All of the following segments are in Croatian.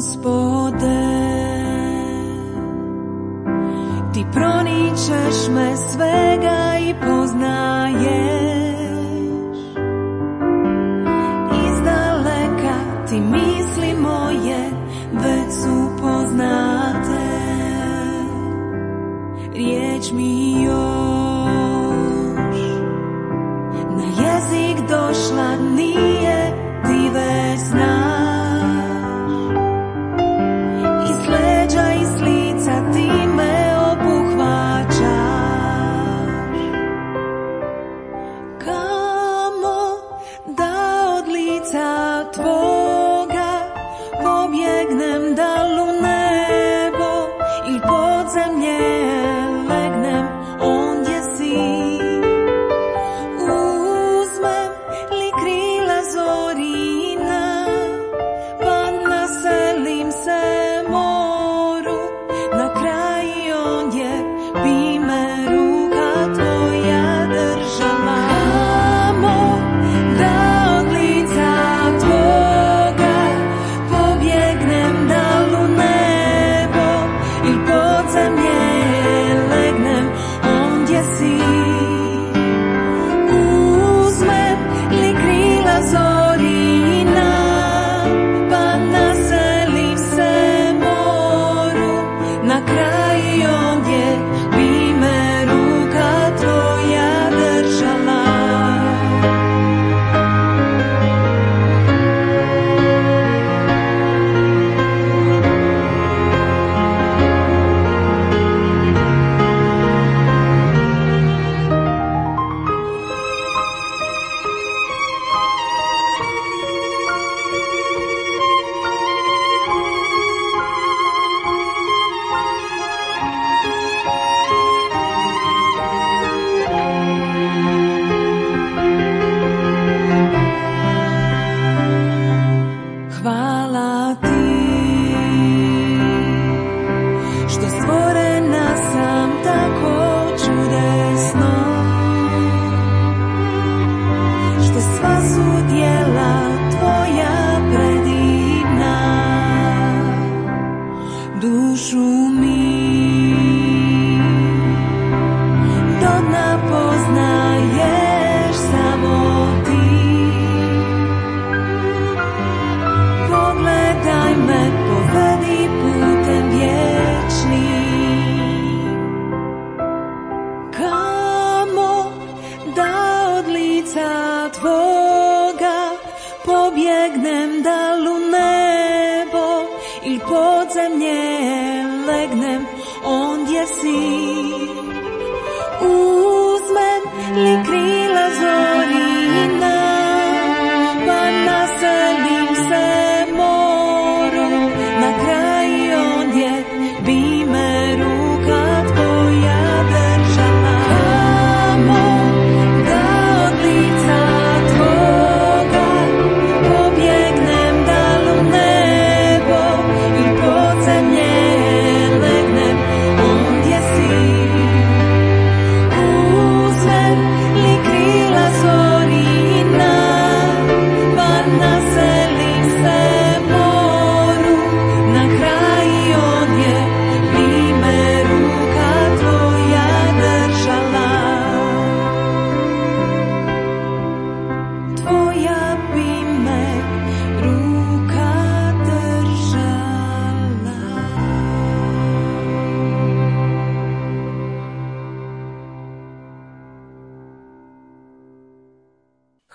Gospode, ti proničeš me svega i poznaješ, izdaleka ti misli moje već su poznate, riječ mi još na jezik došla nije, ti već znaš.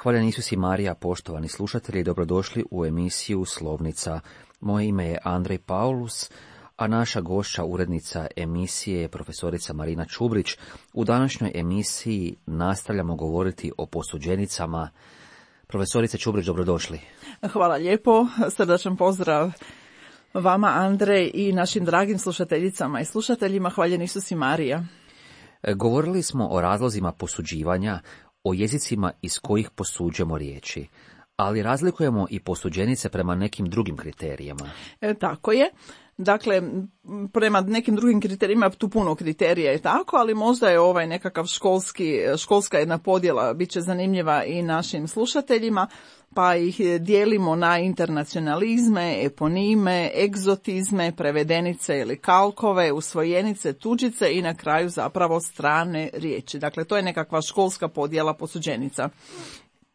Hvaljen Isus i Marija, poštovani slušatelji, dobrodošli u emisiju Slovnica. Moje ime je Andrej Paulus, a naša gošća, urednica emisije je profesorica Marina Čubrić. U današnjoj emisiji nastavljamo govoriti o posuđenicama. Profesorice Čubrić, dobrodošli. Hvala lijepo, srdačan pozdrav vama, Andrej, i našim dragim slušateljicama i slušateljima. Hvaljen Isus i Marija. Govorili smo o razlozima posuđivanja, o jezicima iz kojih posuđujemo riječi. ali razlikujemo i posuđenice prema nekim drugim kriterijama. Tako je. Dakle, prema nekim drugim kriterijima, tu puno kriterija je tako, ali možda je ovaj nekakav školska jedna podjela bit će zanimljiva i našim slušateljima, pa ih dijelimo na internacionalizme, eponime, egzotizme, prevedenice ili kalkove, usvojenice, tuđice i na kraju zapravo strane riječi. Dakle, to je nekakva školska podjela posuđenica.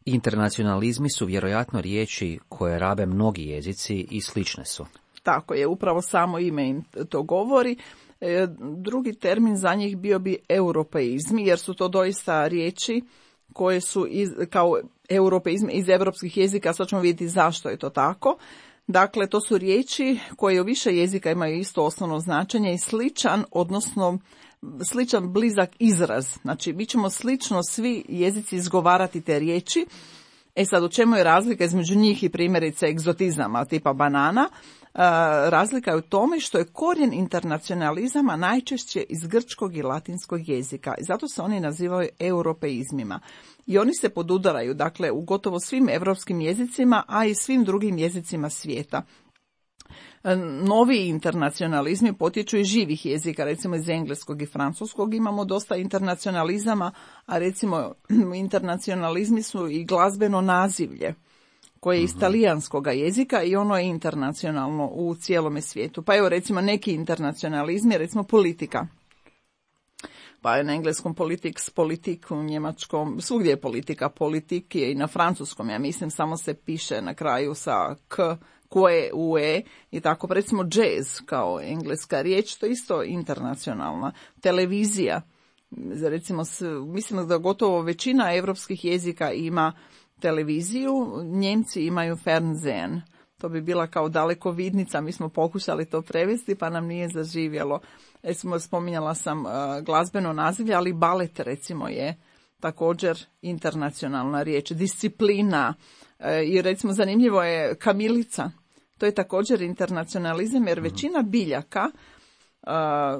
Internacionalizmi su vjerojatno riječi koje rabe mnogi jezici i slične su. Tako je, upravo samo ime im to govori. Drugi termin za njih bio bi europeizmi, jer su to doista riječi koje su kao europeizmi iz europskih jezika. Sad ćemo vidjeti zašto je to tako. Dakle, to su riječi koje u više jezika imaju isto osnovno značenje i sličan blizak izraz. Znači, mi ćemo slično svi jezici izgovarati te riječi. Sad, u čemu je razlika između njih i primjerice egzotizama tipa banana? Razlika je u tome što je korijen internacionalizama najčešće iz grčkog i latinskog jezika i zato se oni nazivaju europeizmima. I oni se podudaraju, dakle, u gotovo svim europskim jezicima, a i svim drugim jezicima svijeta. Novi internacionalizmi potječu iz živih jezika, recimo iz engleskog i francuskog imamo dosta internacionalizama, a recimo internacionalizmi su i glazbeno nazivlje koje je iz talijanskog jezika i ono je internacionalno u cijelome svijetu. Pa evo recimo neki internacionalizmi, recimo politika. Pa je na engleskom politics, politik, u njemačkom, svugdje je politika, politik je i na francuskom, ja mislim, samo se piše na kraju sa k, koje, ue i tako. Recimo jazz kao engleska riječ, to je isto internacionalna. Televizija, recimo, mislim da gotovo većina europskih jezika ima televiziju, Njemci imaju Fernsehen. To bi bila kao dalekovidnica, mi smo pokušali to prevesti pa nam nije zaživjelo. Recimo, spominjala sam glazbeno nazivlje, ali balet recimo je također internacionalna riječ. Disciplina i recimo zanimljivo je kamilica. To je također internacionalizam jer većina biljaka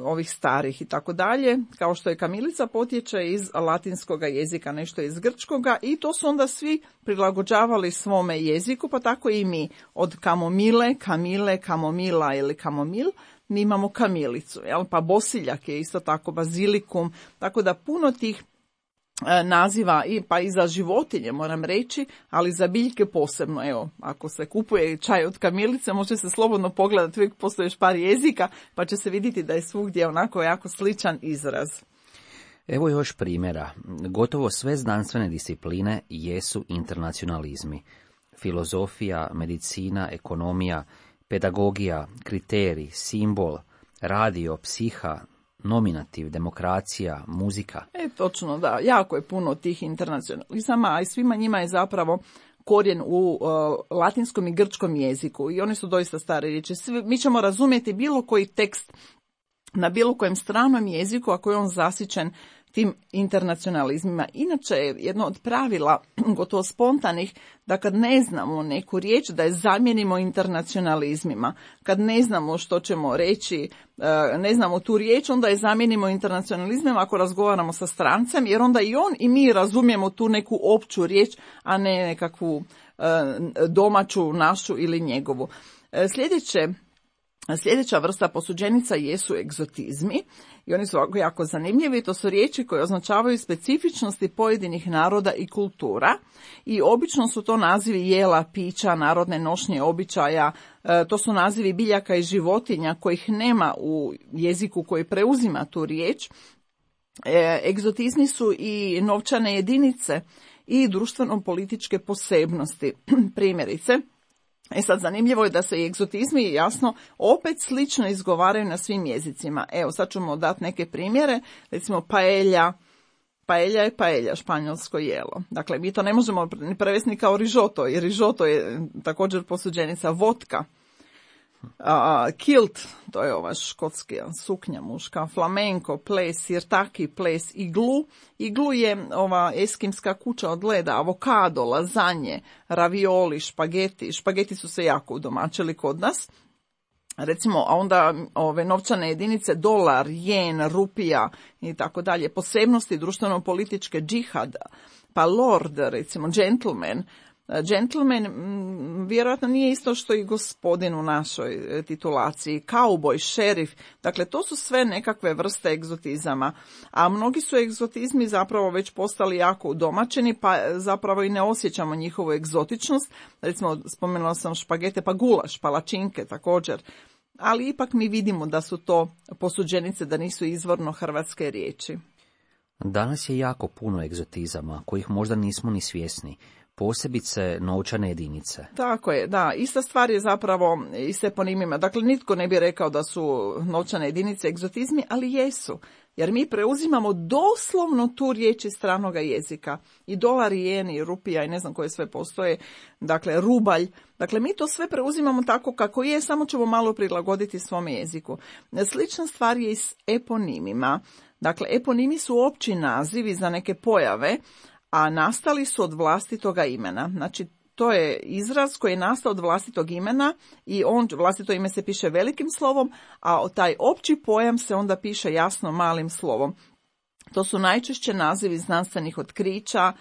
ovih starih i tako dalje, kao što je kamilica, potječe iz latinskoga jezika, nešto iz grčkoga i to su onda svi prilagođavali svome jeziku, pa tako i mi. Od kamomile, kamile, kamomila ili kamomil, mi imamo kamilicu, jel? Pa bosiljak je isto tako, bazilikum, tako da puno tih naziva pa i za životinje moram reći, ali za biljke posebno. Evo, ako se kupuje čaj od kamilice, može se slobodno pogledati, uvijek postoji još par jezika, pa će se vidjeti da je svugdje onako jako sličan izraz. Evo još primjera. Gotovo sve znanstvene discipline jesu internacionalizmi. Filozofija, medicina, ekonomija, pedagogija, kriterij, simbol, radio, psiha, nominativ, demokracija, muzika. Točno, da. Jako je puno tih internacionalizama, a i svima njima je zapravo korijen u latinskom i grčkom jeziku i oni su doista stare riječi. Mi ćemo razumjeti bilo koji tekst na bilo kojem stranom jeziku ako je on zasićen tim internacionalizmima. Inače je jedno od pravila, gotovo spontanih, da kad ne znamo neku riječ, da je zamijenimo internacionalizmima. Kad ne znamo što ćemo reći, ne znamo tu riječ, onda je zamijenimo internacionalizmima ako razgovaramo sa strancem, jer onda i on i mi razumijemo tu neku opću riječ, a ne nekakvu domaću, našu ili njegovu. Sljedeća vrsta posuđenica jesu egzotizmi i oni su jako zanimljivi. To su riječi koje označavaju specifičnosti pojedinih naroda i kultura i obično su to nazivi jela, pića, narodne nošnje, običaja. To su nazivi biljaka i životinja kojih nema u jeziku koji preuzima tu riječ. Egzotizmi su i novčane jedinice i društveno-političke posebnosti. Primjerice, sad zanimljivo je da se i egzotizmi jasno opet slično izgovaraju na svim jezicima. Evo sad ćemo dati neke primjere, recimo paella. Paella je paella, španjolsko jelo. Dakle, mi to ne možemo prevesti ni kao rižoto, jer rižoto je također posuđenica. Vodka. Kilt, to je ova škotska suknja muška, flamenko, ples, sirtaki, ples, iglu. Iglu je ova eskimska kuća od leda, avokado, lazanje, ravioli, špageti. Špageti su se jako udomačili kod nas. Recimo, a onda ove novčane jedinice, dolar, jen, rupija i tako dalje. Posebnosti društveno-političke, džihada, pa lord, recimo, gentleman, Gentleman vjerojatno nije isto što i gospodin u našoj titulaciji. Kauboj, šerif, dakle to su sve nekakve vrste egzotizama. A mnogi su egzotizmi zapravo već postali jako udomačeni, pa zapravo i ne osjećamo njihovu egzotičnost. Recimo, spomenula sam špagete, pa gulaš, palačinke također. Ali ipak mi vidimo da su to posuđenice, da nisu izvorno hrvatske riječi. Danas je jako puno egzotizama, kojih možda nismo ni svjesni, posebice novčane jedinice. Tako je, da. Ista stvar je zapravo i s eponimima. Dakle, nitko ne bi rekao da su novčane jedinice egzotizmi, ali jesu. Jer mi preuzimamo doslovno tu riječ iz stranoga jezika. I dolar, i jen, i rupija, i ne znam koje sve postoje. Dakle, rubalj. Dakle, mi to sve preuzimamo tako kako je, samo ćemo malo prilagoditi svome jeziku. Slična stvar je i s eponimima. Dakle, eponimi su opći nazivi za neke pojave, a nastali su od vlastitoga imena. Znači, to je izraz koji je nastao od vlastitog imena i vlastito ime se piše velikim slovom, a taj opći pojam se onda piše jasno malim slovom. To su najčešće nazivi znanstvenih otkrića,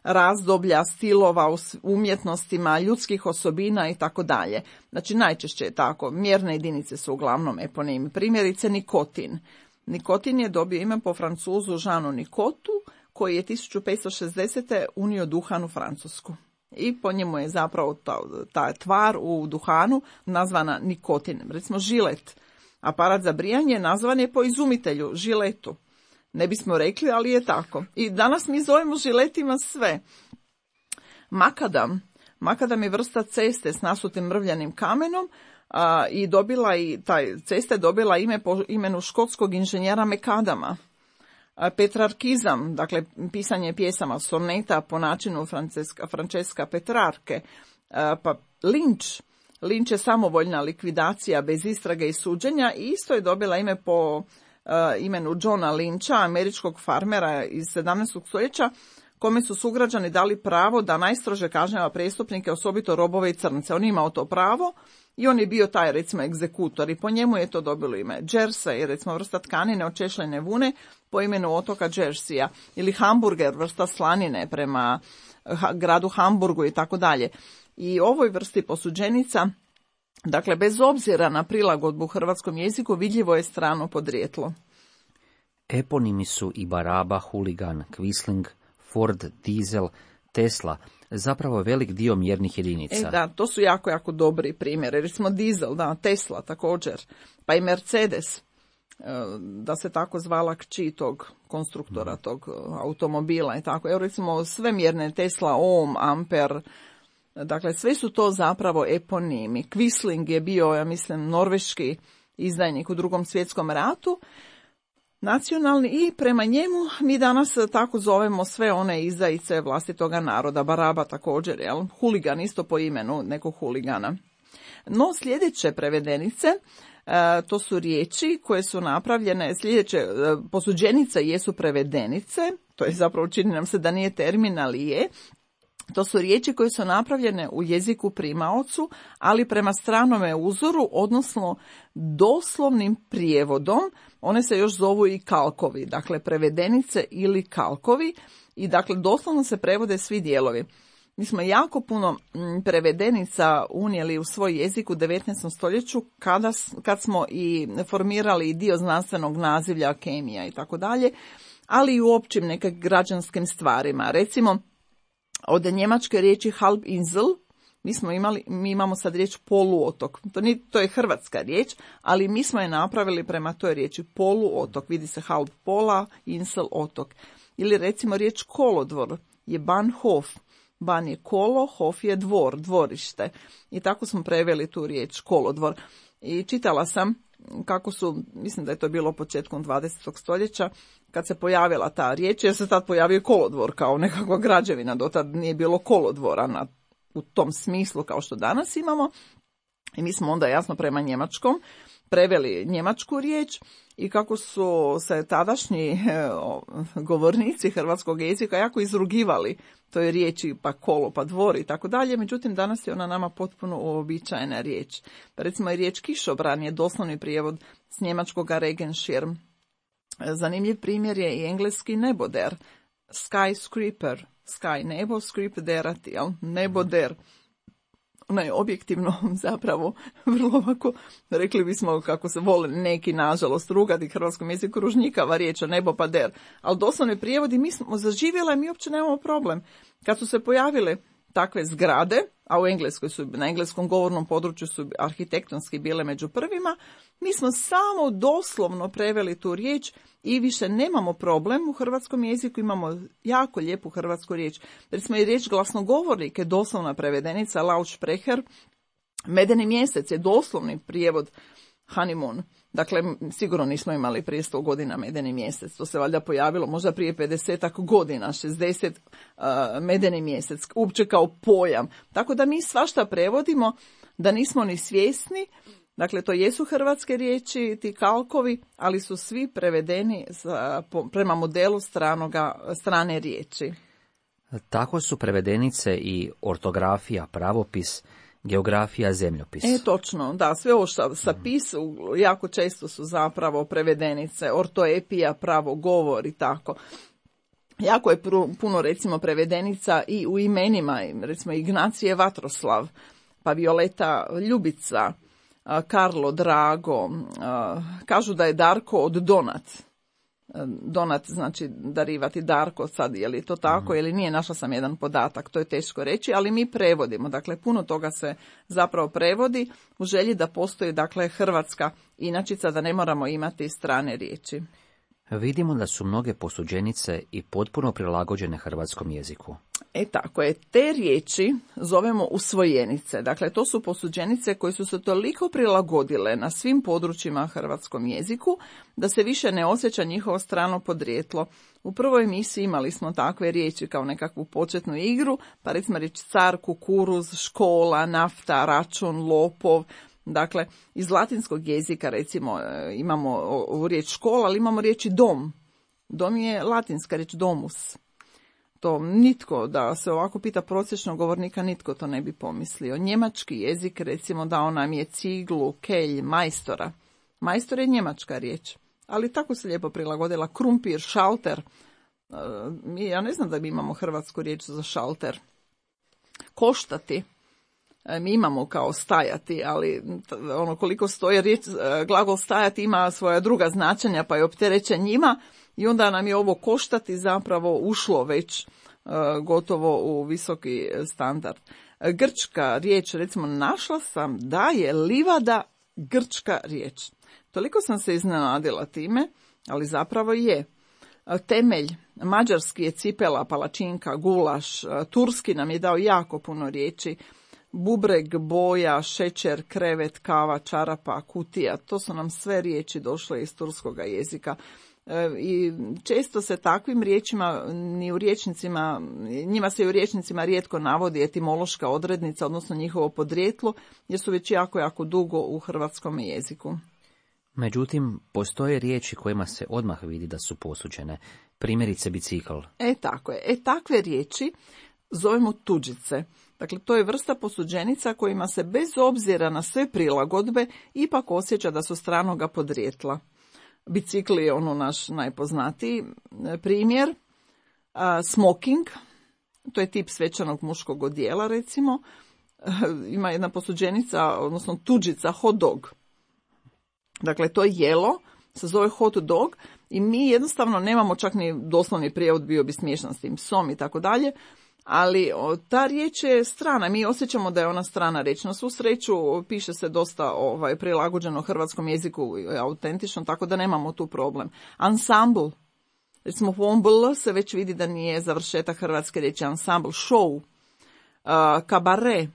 razdoblja, stilova u umjetnostima, ljudskih osobina i tako dalje. Znači, najčešće je tako. Mjerne jedinice su uglavnom eponimi. Primjerice, nikotin. Nikotin je dobio ime po Francuzu Jeanu Nicotu, koji je 1560. unio duhan u Francusku. I po njemu je zapravo ta tvar u duhanu nazvana nikotin. Recimo žilet, aparat za brijanje, nazvan je po izumitelju, žiletu. Ne bismo rekli, ali je tako. I danas mi zovemo žiletima sve. Makadam. Makadam je vrsta ceste s nasutim mrvljanim kamenom, i cesta je dobila ime po imenu škotskog inženjera Mekadama. Petrarkizam, dakle pisanje pjesama soneta po načinu Francesca Petrarke. Pa linč je samovoljna likvidacija bez istrage i suđenja i isto je dobila ime po imenu Johna Lyncha, američkog farmera iz 17. stoljeća, kome su sugrađani dali pravo da najstrože kažnjava prijestupnike, osobito robove i crnce. On imao to pravo i on je bio taj, recimo, egzekutor i po njemu je to dobilo ime. Jersey, recimo, vrsta tkanine od češljene vune po imenu otoka Jerseya, ili hamburger, vrsta slanine prema gradu Hamburgu i tako dalje. I ovoj vrsti posuđenica, dakle, bez obzira na prilagodbu u hrvatskom jeziku, vidljivo je strano podrijetlo. Eponimi su i Baraba, Huligan, Quisling, Ford, Diesel, Tesla, zapravo velik dio mjernih jedinica. Da, to su jako, jako dobri primjeri. Recimo Diesel, da, Tesla također, pa i Mercedes, da se tako zvala kći tog konstruktora, tog automobila i tako. Evo recimo sve mjerne Tesla, ohm, amper, dakle sve su to zapravo eponimi. Quisling je bio, ja mislim, norveški izdajnik u Drugom svjetskom ratu, nacionalni, i prema njemu mi danas tako zovemo sve one izdajice vlastitoga naroda. Baraba također, jel? Huligan isto po imenu nekog huligana. No sljedeće prevedenice, to su riječi koje su napravljene, sljedeće posuđenice jesu prevedenice, to je zapravo, čini nam se da nije termin, ali je. To su riječi koje su napravljene u jeziku primaocu, ali prema stranome uzoru, odnosno doslovnim prijevodom. One se još zovu i kalkovi, dakle prevedenice ili kalkovi, i dakle doslovno se prevode svi dijelovi. Mi smo jako puno prevedenica unijeli u svoj jezik u 19. stoljeću kad smo i formirali dio znanstvenog nazivlja, kemija i tako dalje, ali i u općim nekim građanskim stvarima. Recimo, od njemačke riječi Halbinsel mi imamo sad riječ poluotok. To je hrvatska riječ, ali mi smo je napravili prema toj riječi poluotok. Vidi se Halb pola, Insel otok. Ili recimo riječ kolodvor je Bahnhof. Ban je kolo, hof je dvor, dvorište. I tako smo preveli tu riječ kolodvor. I čitala sam kako su, mislim da je to bilo početkom 20. stoljeća, kad se pojavila ta riječ, jer se tad pojavio kolodvor kao nekakva građevina, dotad nije bilo kolodvora u tom smislu kao što danas imamo. I mi smo onda jasno prema njemačkom preveli njemačku riječ i kako su se tadašnji govornici hrvatskog jezika jako izrugivali toj riječi, pa kolo, pa dvor i tako dalje. Međutim, danas je ona nama potpuno uobičajena riječ. Recimo, riječ kišobran je doslovni prijevod s njemačkoga Regenschirm. Zanimljiv primjer je i engleski neboder, skyscraper, sky nebo, script derati, jel? Nebo der. Ona je objektivno zapravo vrlo ovako, rekli bismo kako se vole neki nažalost rugati hrvatskom jeziku, ružnjikava riječ, nebo pa der. Ali doslovni prijevodi mi smo zaživjela i mi uopće nemamo problem. Kad su se pojavile takve zgrade, a u Engleskoj su, na engleskom govornom području su arhitektonski bile među prvima, mi smo samo doslovno preveli tu riječ i više nemamo problem. U hrvatskom jeziku imamo jako lijepu hrvatsku riječ. Recimo i riječ glasnogovornik je doslovna prevedenica, Lautsprecher. Medeni mjesec je doslovni prijevod honeymoon. Dakle, sigurno nismo imali prije 100 godina medeni mjesec. To se valjda pojavilo možda prije 50 godina, 60 medeni mjesec, uopće kao pojam. Tako da mi svašta prevodimo da nismo ni svjesni. Dakle, to jesu hrvatske riječi, ti kalkovi, ali su svi prevedeni prema modelu strane riječi. Tako su prevedenice i ortografija, pravopis, geografija, zemljopis. Točno, da, sve ovo što sa pisu jako često su zapravo prevedenice, ortoepija, pravo govor i tako. Jako je puno recimo prevedenica i u imenima, recimo Ignacije Vatroslav, pa Violeta Ljubica, Karlo Drago, kažu da je Darko od Donat. Donat znači darivati Darko, sad je li to tako ili nije, našla sam jedan podatak, to je teško reći, ali mi prevodimo, dakle puno toga se zapravo prevodi u želji da postoji dakle hrvatska inačica, da ne moramo imati strane riječi. Vidimo da su mnoge posuđenice i potpuno prilagođene hrvatskom jeziku. Tako je, te riječi zovemo usvojenice. Dakle, to su posuđenice koje su se toliko prilagodile na svim područjima hrvatskom jeziku da se više ne osjeća njihovo strano podrijetlo. U prvoj emisiji imali smo takve riječi kao nekakvu početnu igru, pa recimo riječ car, kukuruz, škola, nafta, račun, lopov. Dakle, iz latinskog jezika recimo imamo ovu riječ škola, ali imamo riječi dom. Dom je latinska riječ domus. To nitko, da se ovako pita prosječnog govornika, nitko to ne bi pomislio. Njemački jezik recimo dao nam je ciglu, kelj, majstora. Majstor je njemačka riječ, ali tako se lijepo prilagodila. Krumpir, šalter. Ja ne znam da mi imamo hrvatsku riječ za šalter. Koštati. Mi imamo kao stajati, ali ono koliko stoje riječ, glagol stajati ima svoja druga značenja, pa je opterećen njima i onda nam je ovo koštati zapravo ušlo već gotovo u visoki standard. Grčka riječ, recimo našla sam da je livada grčka riječ. Toliko sam se iznenadila time, ali zapravo je. Temelj, mađarski je cipela, palačinka, gulaš, turski nam je dao jako puno riječi. Bubreg, boja, šećer, krevet, kava, čarapa, kutija, to su nam sve riječi došle iz turskoga jezika. I često se takvim riječima ni u rječnicima, njima se i u rječnicima rijetko navodi etimološka odrednica, odnosno njihovo podrijetlo, jer su već jako dugo u hrvatskom jeziku. Međutim, postoje riječi kojima se odmah vidi da su posuđene, primjerice bicikl. Tako je. Takve riječi zovemo tuđice. Dakle, to je vrsta posuđenica kojima se bez obzira na sve prilagodbe ipak osjeća da su stranoga podrijetla. Bicikl je ono naš najpoznatiji primjer. Smoking, to je tip svečanog muškog odijela recimo. Ima jedna posuđenica, odnosno tuđica, hot dog. Dakle, to je jelo, se zove hot dog i mi jednostavno nemamo čak ni doslovni prijevod, bio bi smiješan s tim psom i tako dalje. Ali ta riječ je strana, mi osjećamo da je ona strana riječ. Na svu sreću piše se dosta prilagođeno hrvatskom jeziku, autentično, tako da nemamo tu problem. Ensemble, recimo u ovom bl se već vidi da nije završetak hrvatske riječi. Ensemble, show, kabare,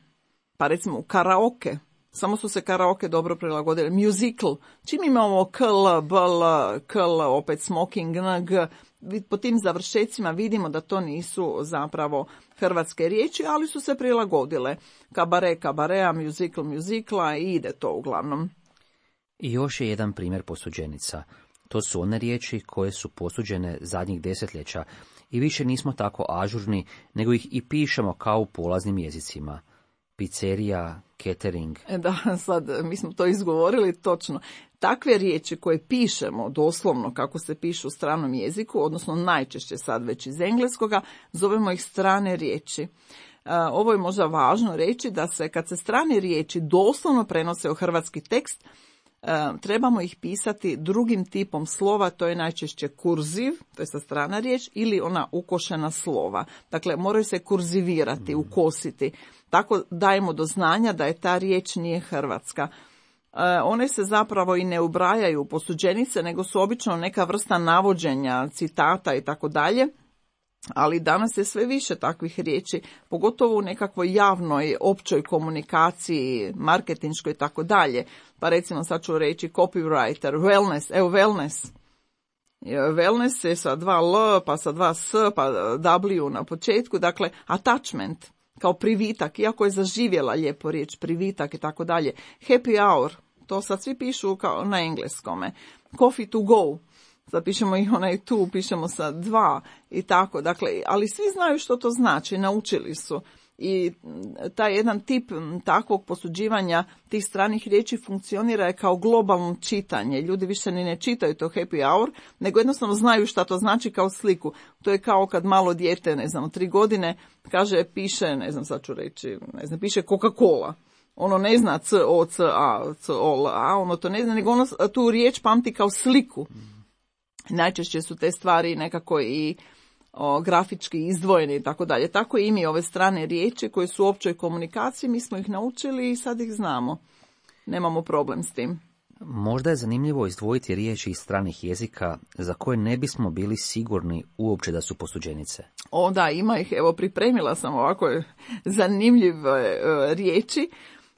pa recimo karaoke, samo su se karaoke dobro prilagodili. Musical, čim imamo kl, bl, kl, opet smoking, ng, po tim završecima vidimo da to nisu zapravo hrvatske riječi, ali su se prilagodile. Kabare, kabarea, musical, musicla i ide to uglavnom. I još je jedan primjer posuđenica. To su one riječi koje su posuđene zadnjih desetljeća i više nismo tako ažurni, nego ih i pišemo kao u polaznim jezicima. pizzerija, catering. Da, sad mi smo to izgovorili točno. Takve riječi koje pišemo doslovno kako se pišu u stranom jeziku, odnosno najčešće sad već iz engleskoga, zovemo ih strane riječi. Ovo je možda važno reći da se kad se strane riječi doslovno prenose u hrvatski tekst, trebamo ih pisati drugim tipom slova, to je najčešće kurziv, to je sa strana riječ, ili ona ukošena slova. Dakle, moraju se kurzivirati, ukositi. Tako dajemo do znanja da je ta riječ nije hrvatska. One se zapravo i ne ubrajaju u posuđenice, nego su obično neka vrsta navođenja, citata i tako dalje. Ali danas je sve više takvih riječi, pogotovo u nekakvoj javnoj, općoj komunikaciji, marketinškoj i tako dalje. Pa recimo sad ću reći copywriter, wellness, evo wellness. Wellness je sa 2 L, pa sa 2 S, pa W na početku, dakle attachment, kao privitak, iako je zaživjela lijepo riječ, privitak i tako dalje. Happy hour, to sad svi pišu kao na engleskome. Coffee to go. Zapišemo i onaj tu, pišemo sa 2 i tako. Dakle, ali svi znaju što to znači, naučili su. I taj jedan tip takvog posuđivanja tih stranih riječi funkcionira je kao globalno čitanje. Ljudi više ni ne čitaju to happy hour, nego jednostavno znaju šta to znači kao sliku. To je kao kad malo dijete, 3 godine, kaže, piše, sad ću reći, piše Coca-Cola. Ono ne zna C-O-C-A, C-O-L-A, ono to ne zna, nego ono tu riječ pamti kao sliku. Najčešće su te stvari nekako i grafički izdvojeni i tako dalje. Tako i mi ove strane riječi koje su u općoj komunikaciji, mi smo ih naučili i sad ih znamo. Nemamo problem s tim. Možda je zanimljivo izdvojiti riječi iz stranih jezika za koje ne bismo bili sigurni uopće da su posuđenice. O da, ima ih. Evo, pripremila sam ovako zanimljive riječi.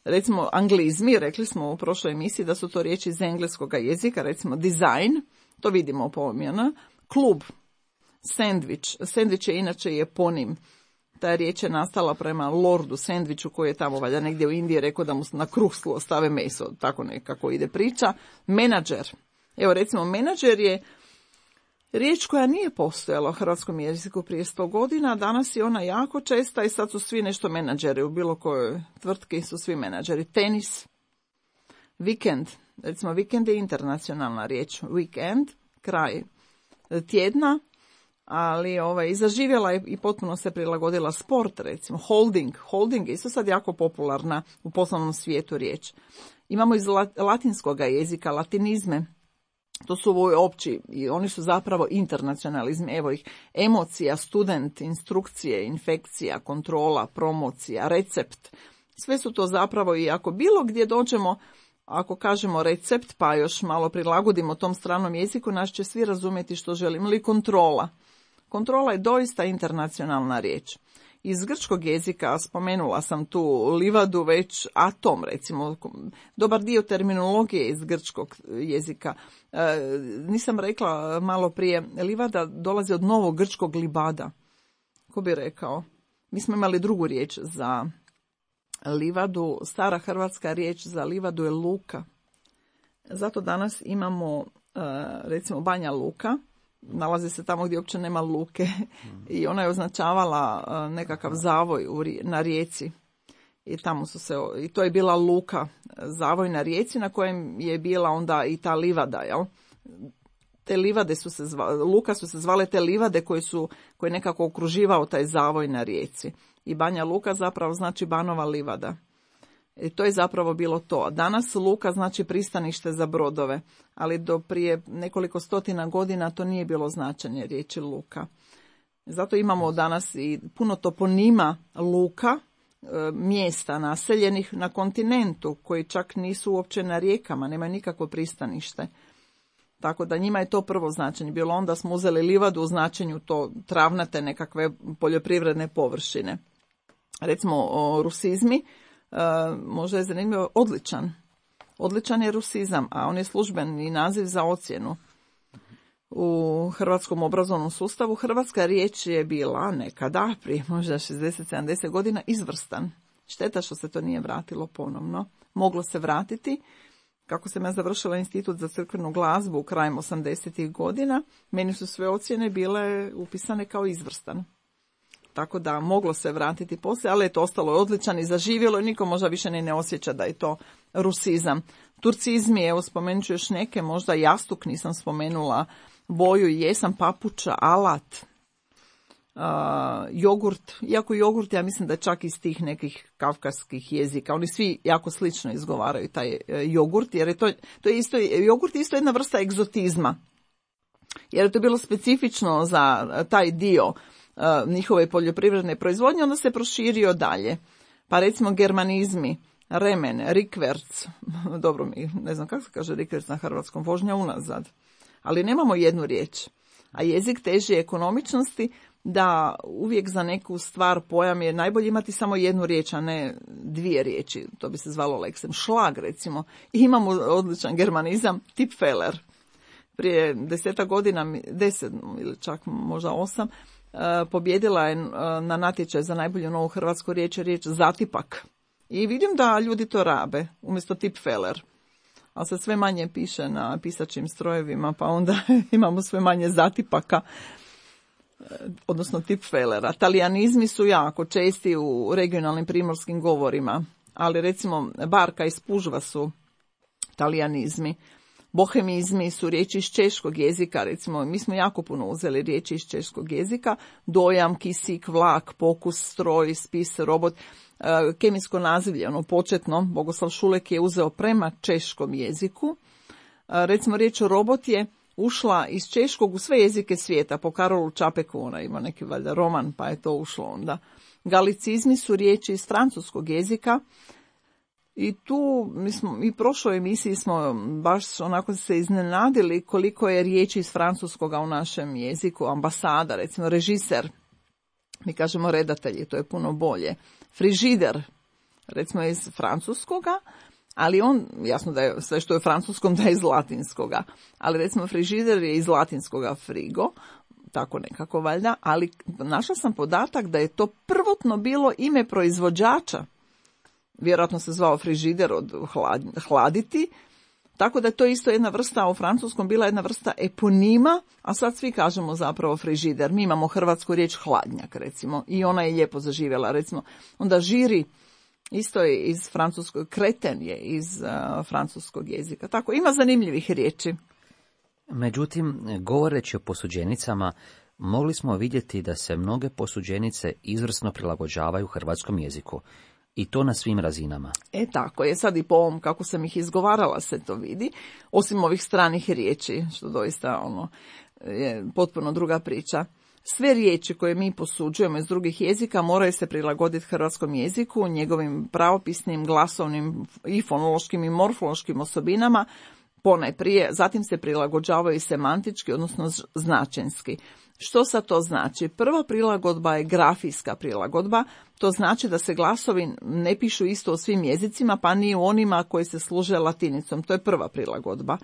Recimo anglizmi, rekli smo u prošloj emisiji da su to riječi iz engleskoga jezika, recimo design, to vidimo pomjena, klub, sandvič je inače eponim. Ta riječ je nastala prema Lordu Sandviču koji je tamo valjda negdje u Indiji rekao da mu na kruh stave meso, tako nekako ide priča. Menadžer, evo recimo menadžer je riječ koja nije postojala u hrvatskom jeziku prije 100 godina, danas je ona jako česta i sad su svi nešto menadžeri, u bilo kojoj tvrtki su svi menadžeri. Tenis, vikend, recimo vikend je internacionalna riječ, weekend, kraj tjedna, ali i zaživjela je i potpuno se prilagodila sport, recimo holding je isto sad jako popularna u poslovnom svijetu riječ. Imamo iz latinskoga jezika latinizme, to su ovi opći i oni su zapravo internacionalizmi, evo ih, emocija, student, instrukcije, infekcija, kontrola, promocija, recept, sve su to zapravo i ako bilo gdje dođemo, ako kažemo recept pa još malo prilagodimo tom stranom jeziku, nas će svi razumjeti što želimo. Ili kontrola. Kontrola je doista internacionalna riječ. Iz grčkog jezika spomenula sam tu livadu već atom, recimo, dobar dio terminologije iz grčkog jezika. Nisam rekla malo prije, livada dolazi od novog grčkog libada. Ko bi rekao? Mi smo imali drugu riječ za livadu, stara hrvatska riječ za livadu je luka. Zato danas imamo, recimo, Banja Luka, nalazi se tamo gdje uopće nema luke i ona je označavala nekakav zavoj na rijeci. I tamo i to je bila luka, zavoj na rijeci na kojem je bila onda i ta livada, jel? Te livade su se zvale, luka su se zvale te livade koje nekako okruživao taj zavoj na rijeci. I Banja Luka zapravo znači Banova livada. I to je zapravo bilo to. Danas luka znači pristanište za brodove, ali do prije nekoliko stotina godina to nije bilo značenje riječi luka. Zato imamo danas i puno toponima luka, mjesta naseljenih na kontinentu, koji čak nisu uopće na rijekama, nemaju nikakvo pristanište. Tako da njima je to prvo značenje bilo. Onda smo uzeli livadu u značenju to travnate nekakve poljoprivredne površine. Recimo rusizmi, možda je zanimljivo odličan. Odličan je rusizam, a on je službeni naziv za ocjenu. U hrvatskom obrazovnom sustavu hrvatska riječ je bila nekada, prije možda 60-70 godina, izvrstan. Šteta što se to nije vratilo ponovno. Moglo se vratiti. Kako sam ja završila institut za crkvenu glazbu krajem 80-ih godina, meni su sve ocjene bile upisane kao izvrstan. tako da moglo se vratiti poslije, ali je to ostalo odličan i zaživjelo i niko možda više ne osjeća da je to rusizam. Turcizmi, evo spomenut ću još neke, možda jastuk nisam spomenula, boju jesam, papuča, alat, jogurt, iako jogurt ja mislim da je čak iz tih nekih kavkaskih jezika, oni svi jako slično izgovaraju taj jogurt, jer je to je isto, jogurt je isto jedna vrsta egzotizma, jer je to bilo specifično za taj dio njihove poljoprivredne proizvodnje, onda se proširio dalje. Pa recimo germanizmi, remen, rikverc, dobro mi, ne znam kako se kaže rikverc na hrvatskom, vožnja unazad, ali nemamo jednu riječ, a jezik teži ekonomičnosti, da uvijek za neku stvar pojam je najbolje imati samo jednu riječ, a ne dvije riječi, to bi se zvalo leksem. Šlag recimo, i imamo odličan germanizam, tipfeler. Prije 10 godina, 10 ili čak možda 8, pobjedila je na natječaj za najbolju novu hrvatsku riječ zatipak. I vidim da ljudi to rabe, umjesto tipfeler. Ali se sve manje piše na pisačim strojevima, pa onda imamo sve manje zatipaka, odnosno tipfelera. Talijanizmi su jako česti u regionalnim primorskim govorima, ali recimo barka i spužva su talijanizmi. Bohemizmi su riječi iz češkog jezika, recimo mi smo jako puno uzeli riječi iz češkog jezika, dojam, kisik, vlak, pokus, stroj, spis, robot, kemijsko nazivlje, ono početno, Bogoslav Šulek je uzeo prema češkom jeziku. Recimo riječ robot je ušla iz češkog u sve jezike svijeta, po Karolu Čapeku, ona ima neki valjda roman, pa je to ušlo onda. Galicizmi su riječi iz francuskog jezika, i tu mi prošloj emisiji smo baš onako se iznenadili koliko je riječi iz francuskoga u našem jeziku. Ambasada, recimo režiser, mi kažemo redatelji, to je puno bolje. Frižider, recimo iz francuskoga, ali on, jasno da je sve što je francuskom da je iz latinskoga, ali recimo frižider je iz latinskoga frigo, tako nekako valjda, ali našla sam podatak da je to prvotno bilo ime proizvođača. Vjerojatno se zvao frižider od hladiti, tako da je to isto jedna vrsta, u francuskom bila jedna vrsta eponima, a sad svi kažemo zapravo frižider. Mi imamo hrvatsku riječ hladnjak, recimo, i ona je lijepo zaživjela, recimo. Onda žiri, isto je iz francuskog, kreten je iz francuskog jezika. Tako, ima zanimljivih riječi. Međutim, govoreći o posuđenicama, mogli smo vidjeti da se mnoge posuđenice izvrsno prilagođavaju hrvatskom jeziku. I to na svim razinama. Tako je, sad i po ovom kako sam ih izgovarala se to vidi, osim ovih stranih riječi, što doista je potpuno druga priča. Sve riječi koje mi posuđujemo iz drugih jezika moraju se prilagoditi hrvatskom jeziku, njegovim pravopisnim, glasovnim i fonološkim i morfološkim osobinama, ponajprije, zatim se prilagođavaju i semantički, odnosno značenski. Što sad to znači? Prva prilagodba je grafijska prilagodba, to znači da se glasovi ne pišu isto u svim jezicima, pa ni u onima koji se služe latinicom. To je prva prilagodba.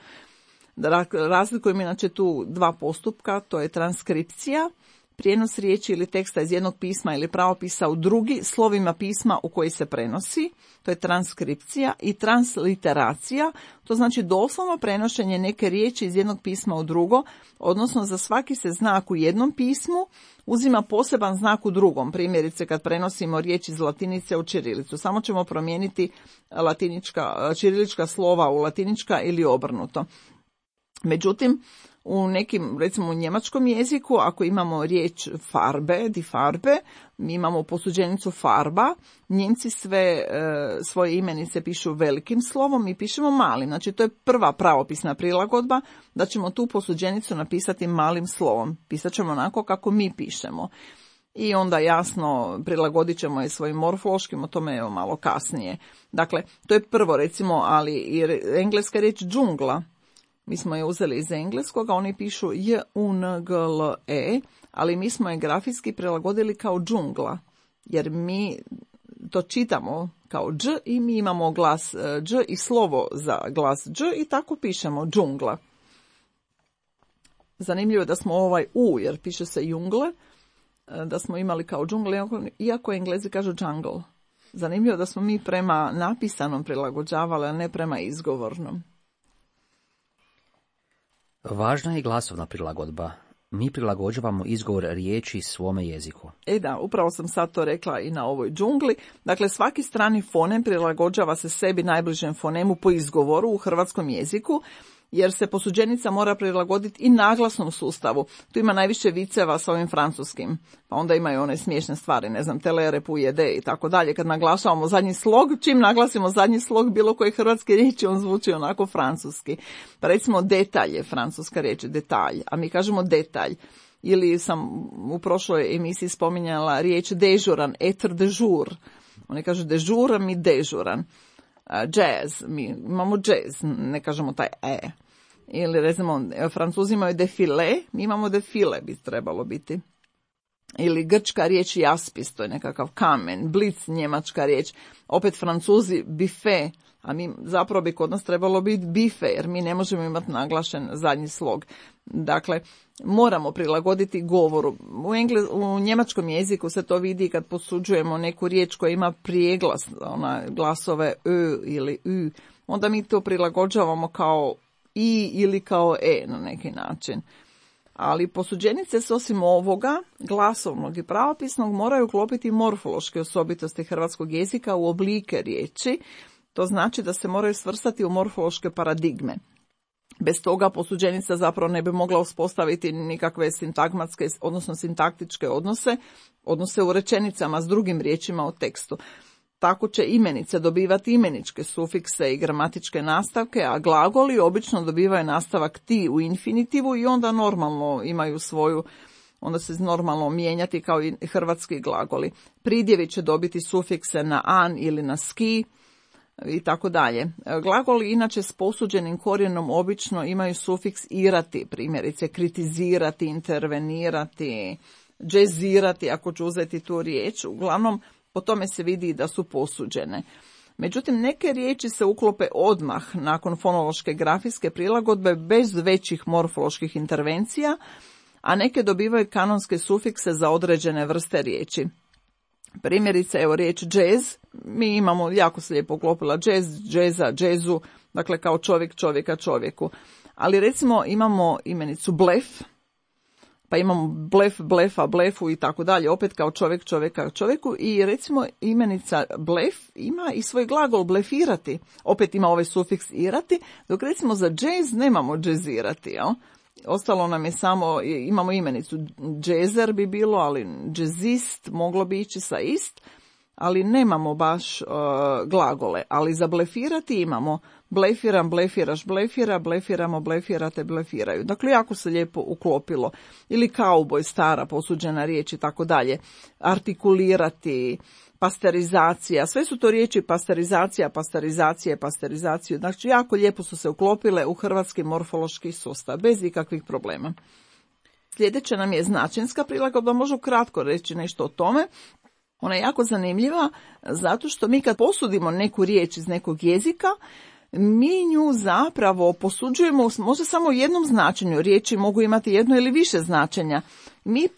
Razlikujemo inače tu dva postupka, to je transkripcija, prijenos riječi ili teksta iz jednog pisma ili pravopisa u drugi slovima pisma u koji se prenosi, to je transkripcija, i transliteracija, to znači doslovno prenošenje neke riječi iz jednog pisma u drugo, odnosno za svaki se znak u jednom pismu uzima poseban znak u drugom. Primjerice kad prenosimo riječ iz latinice u ćirilicu, samo ćemo promijeniti ćirilička slova u latinička ili obrnuto. Međutim, u nekim, recimo u njemačkom jeziku, ako imamo riječ farbe, die Farbe, mi imamo posuđenicu farba, Njemci svoje imenice pišu velikim slovom i pišemo malim. Znači to je prva pravopisna prilagodba, da ćemo tu posuđenicu napisati malim slovom. Pisat ćemo onako kako mi pišemo. I onda jasno prilagodit ćemo je svojim morfološkim, o tome evo malo kasnije. Dakle, to je prvo recimo, ali i engleska riječ džungla. Mi smo je uzeli iz engleskog, a oni pišu J-U-N-G-L-E, ali mi smo je grafijski prilagodili kao džungla, jer mi to čitamo kao dž i mi imamo glas dž i slovo za glas dž i tako pišemo džungla. Zanimljivo je da smo ovaj u, jer piše se jungle, da smo imali kao džungle, iako Englezi kažu jungle. Zanimljivo da smo mi prema napisanom prilagođavali, a ne prema izgovornom. Važna je i glasovna prilagodba. mi prilagođavamo izgovor riječi svome jeziku. Da, upravo sam sad to rekla i na ovoj džungli. Dakle, svaki strani fonem prilagođava se sebi najbližem fonemu po izgovoru u hrvatskom jeziku, jer se posuđenica mora prilagoditi i naglasnom sustavu. Tu ima najviše viceva sa ovim francuskim, pa onda imaju one smiješne stvari, ne znam, telere, pujede i tako dalje. Kad naglašavamo zadnji slog, čim naglasimo zadnji slog bilo koje hrvatske riječi, on zvuči onako francuski. Pa recimo detalj je francuska riječ, detalj, a mi kažemo detalj. Ili sam u prošloj emisiji spominjala riječ dežuran, être de jour. Oni kažu dežur, mi dežuran. Jazz, mi imamo jazz, ne kažemo taj Ili recimo, Francuzi imaju defile, mi imamo defile, bi trebalo biti. Ili grčka riječ jaspis, to je nekakav kamen, blic njemačka riječ. Opet Francuzi bife, a mi zapravo bi kod nas trebalo biti bife, jer mi ne možemo imati naglašen zadnji slog. Dakle, moramo prilagoditi govoru. U njemačkom jeziku se to vidi kad posuđujemo neku riječ koja ima prijeglas, glasove ö ili ü, onda mi to prilagođavamo kao i ili kao na neki način. Ali posuđenice se osim ovoga, glasovnog i pravopisnog, moraju uklopiti morfološke osobitosti hrvatskog jezika u oblike riječi. To znači da se moraju svrstati u morfološke paradigme. Bez toga posuđenica zapravo ne bi mogla uspostaviti nikakve sintagmatske, odnosno sintaktičke odnose u rečenicama s drugim riječima u tekstu. Tako će imenice dobivati imeničke sufikse i gramatičke nastavke, a glagoli obično dobivaju nastavak ti u infinitivu i onda normalno imaju onda se normalno mijenjati kao i hrvatski glagoli. Pridjevi će dobiti sufikse na an ili na ski i tako dalje. Glagoli inače s posuđenim korijenom obično imaju sufiks irati, primjerice kritizirati, intervenirati, džezirati, ako ću uzeti tu riječ. Uglavnom, po tome se vidi da su posuđene. Međutim, neke riječi se uklope odmah nakon fonološke grafijske prilagodbe bez većih morfoloških intervencija, a neke dobivaju kanonske sufikse za određene vrste riječi. Primjerice, evo riječ jazz, mi imamo, jako se lijepo uklopila jazz, džeza, džezu, dakle kao čovjek čovjeka čovjeku. Ali recimo imamo imenicu blef, pa imamo blef, blefa, blefu i tako dalje, opet kao čovjek čovjeka čovjeku, i recimo imenica blef ima i svoj glagol blefirati, opet ima ovaj sufiks irati, dok recimo za jazz nemamo džezirati, jel? Ostalo nam je samo, imamo imenicu džezer bi bilo, ali džezist moglo bi ići sa ist, ali nemamo baš glagole. Ali za blefirati imamo blefiram, blefiraš, blefira, blefiramo, blefirate, blefiraju. Dakle, jako se lijepo uklopilo. Ili kauboj, stara posuđena riječ i tako dalje. Artikulirati, pasterizacija, sve su to riječi pasterizacija, pasterizaciju. Znači, jako lijepo su se uklopile u hrvatski morfološki sustav, bez ikakvih problema. Sljedeća nam je značenjska prilagodba, možu kratko reći nešto o tome. Ona je jako zanimljiva zato što mi kad posudimo neku riječ iz nekog jezika, mi nju zapravo posuđujemo možda samo u jednom značenju. Riječi mogu imati jedno ili više značenja. Mi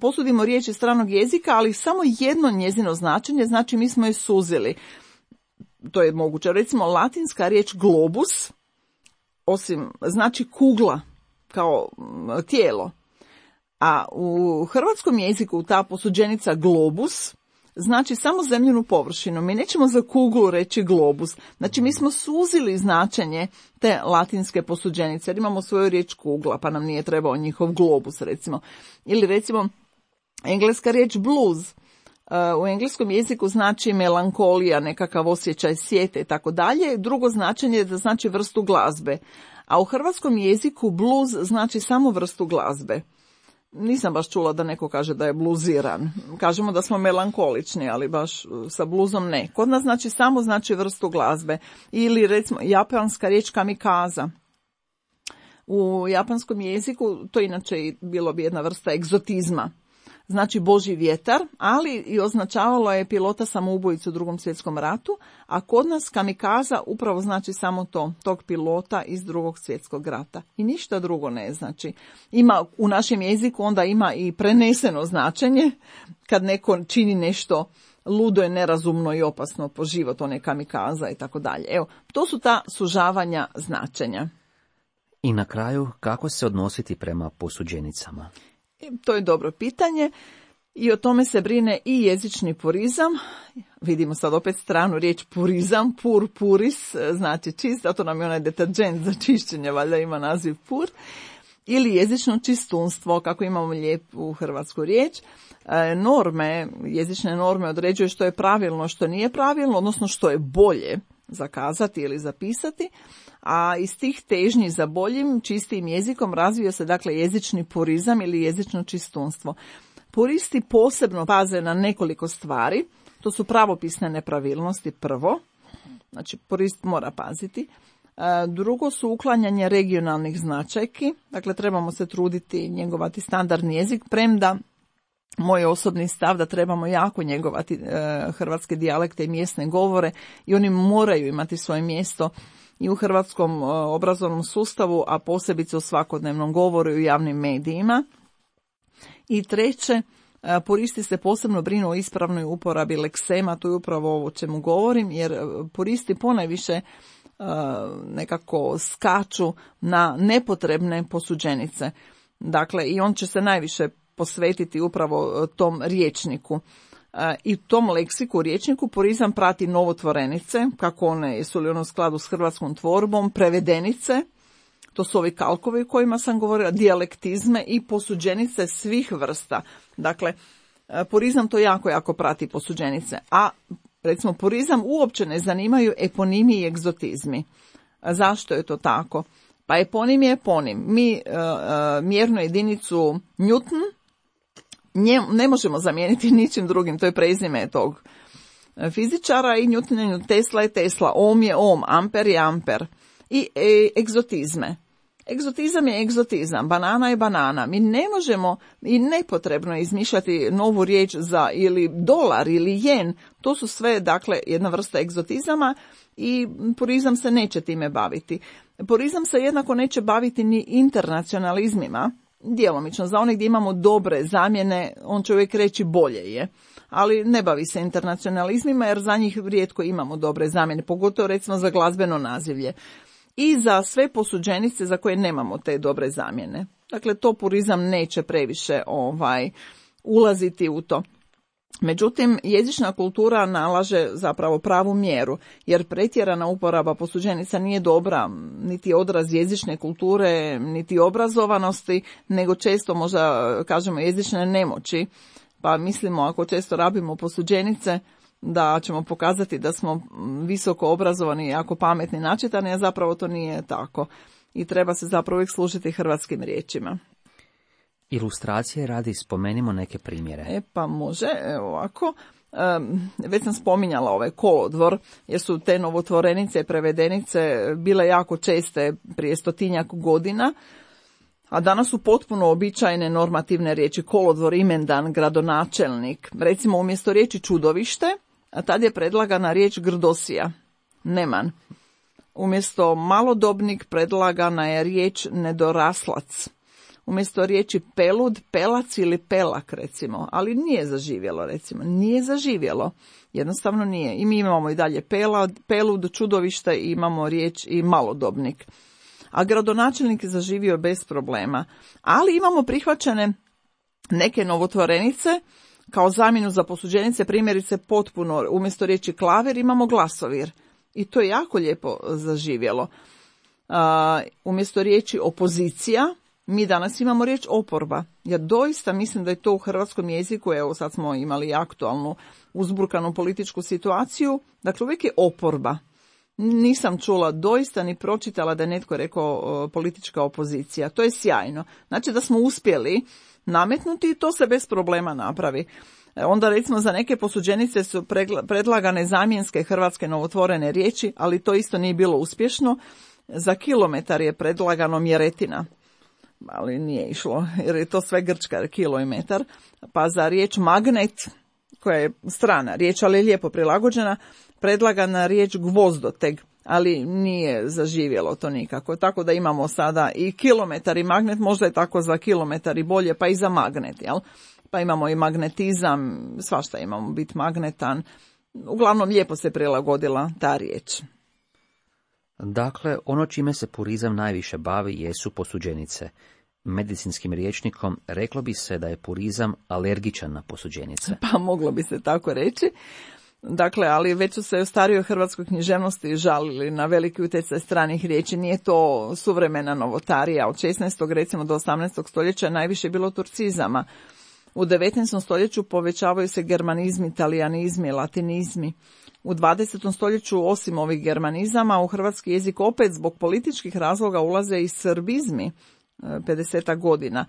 posudimo riječ iz stranog jezika, ali samo jedno njezino značenje, znači mi smo je suzili. To je moguće. Recimo, latinska riječ globus, osim znači kugla kao tijelo. A u hrvatskom jeziku ta posuđenica globus znači samo zemljinu površinu. Mi nećemo za kuglu reći globus. Znači mi smo suzili značenje te latinske posuđenice, jer imamo svoju riječ kugla, pa nam nije trebao njihov globus, recimo. Ili recimo engleska riječ blues. U engleskom jeziku znači melankolija, nekakav osjećaj sjete i tako dalje. Drugo značenje je da znači vrstu glazbe. A u hrvatskom jeziku blues znači samo vrstu glazbe. Nisam baš čula da neko kaže da je bluziran. Kažemo da smo melankolični, ali baš sa bluzom ne. Kod nas znači samo znači vrstu glazbe. Ili recimo japanska riječ kamikaza. U japanskom jeziku to inače bilo bi jedna vrsta egzotizma. Znači Božji vjetar, ali i označavalo je pilota samoubojicu u Drugom svjetskom ratu, a kod nas kamikaza upravo znači samo tog pilota iz Drugog svjetskog rata. I ništa drugo ne znači. Ima u našem jeziku onda ima i preneseno značenje, kad neko čini nešto ludo i nerazumno i opasno po život, on je kamikaza i tako dalje. Evo, to su ta sužavanja značenja. I na kraju, kako se odnositi prema posuđenicama? To je dobro pitanje i o tome se brine i jezični purizam. Vidimo sad opet stranu riječ purizam, pur, puris, znači čist, a to nam je onaj deterđent za čišćenje, valjda ima naziv pur. Ili jezično čistunstvo, kako imamo lijepu hrvatsku riječ. Jezične norme određuju što je pravilno, što nije pravilno, odnosno što je bolje zakazati ili zapisati, a iz tih težnji za boljim, čistijim jezikom razvio se dakle jezični purizam ili jezično čistunstvo. Puristi posebno paze na nekoliko stvari, to su pravopisne nepravilnosti prvo, znači purist mora paziti. Drugo su uklanjanje regionalnih značajki, dakle trebamo se truditi njegovati standardni jezik, premda moj osobni stav da trebamo jako njegovati hrvatske dijalekte i mjesne govore i oni moraju imati svoje mjesto i u hrvatskom obrazovnom sustavu, a posebice u svakodnevnom govoru i u javnim medijima. I treće, puristi se posebno brinu o ispravnoj uporabi leksema, to je upravo ovo o čemu govorim, jer puristi ponajviše nekako skaču na nepotrebne posuđenice. Dakle, i on će se najviše posvetiti upravo tom rječniku. I u tom leksiku, rječniku, purizam prati novotvorenice, kako one, jesu li one u skladu s hrvatskom tvorbom, prevedenice, to su ovi kalkovi o kojima sam govorila, dijalektizme i posuđenice svih vrsta. Dakle, purizam to jako prati posuđenice, a recimo purizam uopće ne zanimaju eponimi i egzotizmi. Zašto je to tako? Pa eponim je eponim. Mi mjernu jedinicu Newton ne možemo zamijeniti ničim drugim, to je prezime tog fizičara i Newton, Tesla je Tesla, ohm je ohm, amper je amper. I egzotizme. Egzotizam je egzotizam, banana je banana. Mi ne možemo i nepotrebno je izmišljati novu riječ za ili dolar ili jen. To su sve, dakle, jedna vrsta egzotizama i purizam se neće time baviti. Purizam se jednako neće baviti ni internacionalizmima, djelomično. Za one gdje imamo dobre zamjene, on će uvijek reći bolje je. Ali ne bavi se internacionalizmima jer za njih rijetko imamo dobre zamjene, pogotovo recimo za glazbeno nazivlje. I za sve posuđenice za koje nemamo te dobre zamjene. Dakle, to purizam neće previše ulaziti u to. Međutim, jezična kultura nalaže zapravo pravu mjeru, jer pretjerana uporaba posuđenica nije dobra, niti odraz jezične kulture, niti obrazovanosti, nego često možda kažemo jezične nemoći. Pa mislimo, ako često rabimo posuđenice, da ćemo pokazati da smo visoko obrazovani i jako pametni načitani, a zapravo to nije tako. I treba se zapravo uvijek služiti hrvatskim riječima. Ilustracije radi, spomenimo neke primjere. Pa može, evo ovako. Već sam spominjala ovaj kolodvor, jer su te novotvorenice i prevedenice bile jako česte prije 100-tinjak godina, a danas su potpuno običajne normativne riječi: kolodvor, imendan, gradonačelnik. Recimo umjesto riječi čudovište, a tad je predlagana riječ grdosija, neman. Umjesto malodobnik predlagana je riječ nedoraslac. Umjesto riječi pelud, pelac ili pelak, recimo, ali nije zaživjelo, recimo, nije zaživjelo, jednostavno nije. I mi imamo i dalje pelud, čudovište i imamo riječ i malodobnik. A gradonačelnik je zaživio bez problema. Ali imamo prihvaćene neke novotvorenice kao zamjenu za posuđenice, primjerice potpuno, umjesto riječi klaver imamo glasovir. I to je jako lijepo zaživjelo. Umjesto riječi opozicija, mi danas imamo riječ oporba. Ja doista mislim da je to u hrvatskom jeziku, evo sad smo imali aktualnu uzburkanu političku situaciju, dakle uvijek je oporba. Nisam čula doista ni pročitala da je netko rekao politička opozicija. To je sjajno. Znači da smo uspjeli nametnuti i to se bez problema napravi. Onda recimo za neke posuđenice su predlagane zamjenske hrvatske novotvorene riječi, ali to isto nije bilo uspješno. Za kilometar je predlagano mjeretina, ali nije išlo jer je to sve grčka, kilo i metar. Pa za riječ magnet, koja je strana riječ, ali je lijepo prilagođena, predlagana riječ gvozdoteg, ali nije zaživjelo to nikako. Tako da imamo sada i kilometar i magnet, možda je tako za kilometar i bolje, pa i za magnet, jel? Pa imamo i magnetizam, svašta imamo, bit magnetan. Uglavnom lijepo se prilagodila ta riječ. Dakle, ono čime se purizam najviše bavi jesu posuđenice. Medicinskim rječnikom reklo bi se da je purizam alergičan na posuđenice. Pa moglo bi se tako reći. Dakle, ali već su se u starijoj hrvatskoj književnosti žalili na veliki utjecaj stranih riječi. Nije to suvremena novotarija. Od 16. recimo do 18. stoljeća najviše je bilo turcizama. U 19. stoljeću povećavaju se germanizmi, talijanizmi, latinizmi. U 20. stoljeću osim ovih germanizama u hrvatski jezik opet zbog političkih razloga ulaze i srbizmi 50 godina.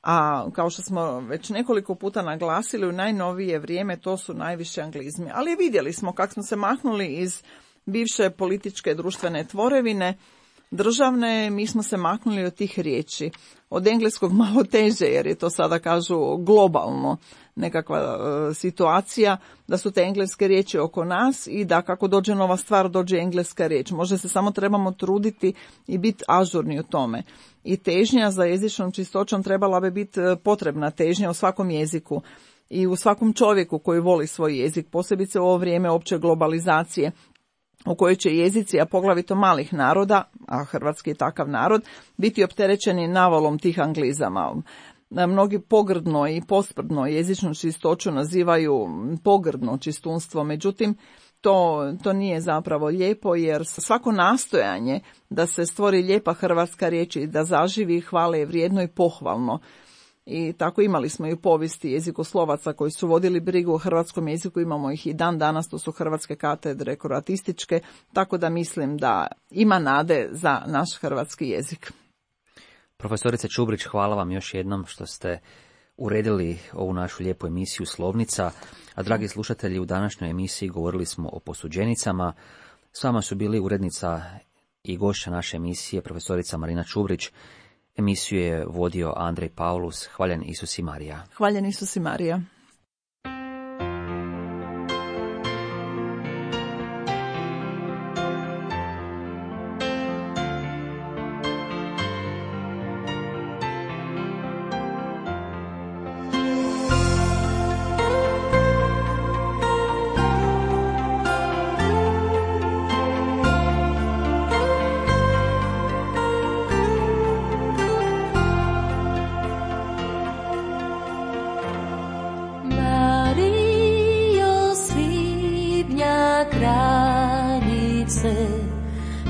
A kao što smo već nekoliko puta naglasili, u najnovije vrijeme to su najviše anglizmi. Ali vidjeli smo kako smo se mahnuli iz bivše političke društvene tvorevine, državne, mi smo se maknuli od tih riječi. Od engleskog malo teže, jer je to sada kažu globalno nekakva situacija, da su te engleske riječi oko nas i da kako dođe nova stvar, dođe engleska riječ. Možda se samo trebamo truditi i biti ažurni u tome. I težnja za jezičnom čistoćom trebala bi biti potrebna težnja u svakom jeziku i u svakom čovjeku koji voli svoj jezik, posebice u ovo vrijeme opće globalizacije, u kojoj će jezici, a poglavito malih naroda, a hrvatski je takav narod, biti opterećeni navalom tih anglizama. Mnogi pogrdno i posprdno jezičnu čistoću nazivaju pogrdno čistunstvo, međutim to nije zapravo lijepo, jer svako nastojanje da se stvori lijepa hrvatska riječ i da zaživi hvale je vrijedno i pohvalno. I tako imali smo i u povijesti jezikoslovaca koji su vodili brigu o hrvatskom jeziku, imamo ih i dan danas, to su hrvatske katedre kroatističke, tako da mislim da ima nade za naš hrvatski jezik. Profesorice Čubrić, hvala vam još jednom što ste uredili ovu našu lijepu emisiju Slovnica, a dragi slušatelji, u današnjoj emisiji govorili smo o posuđenicama. S vama su bili urednica i gošća naše emisije, profesorica Marina Čubrić. Emisiju je vodio Andrej Paulus. Hvaljen Isus i Marija. Hvaljen Isus i Marija.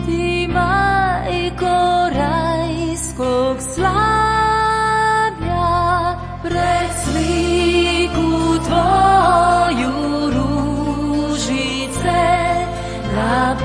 Ti majko rajskog slavlja, pred sliku tvoju ružice na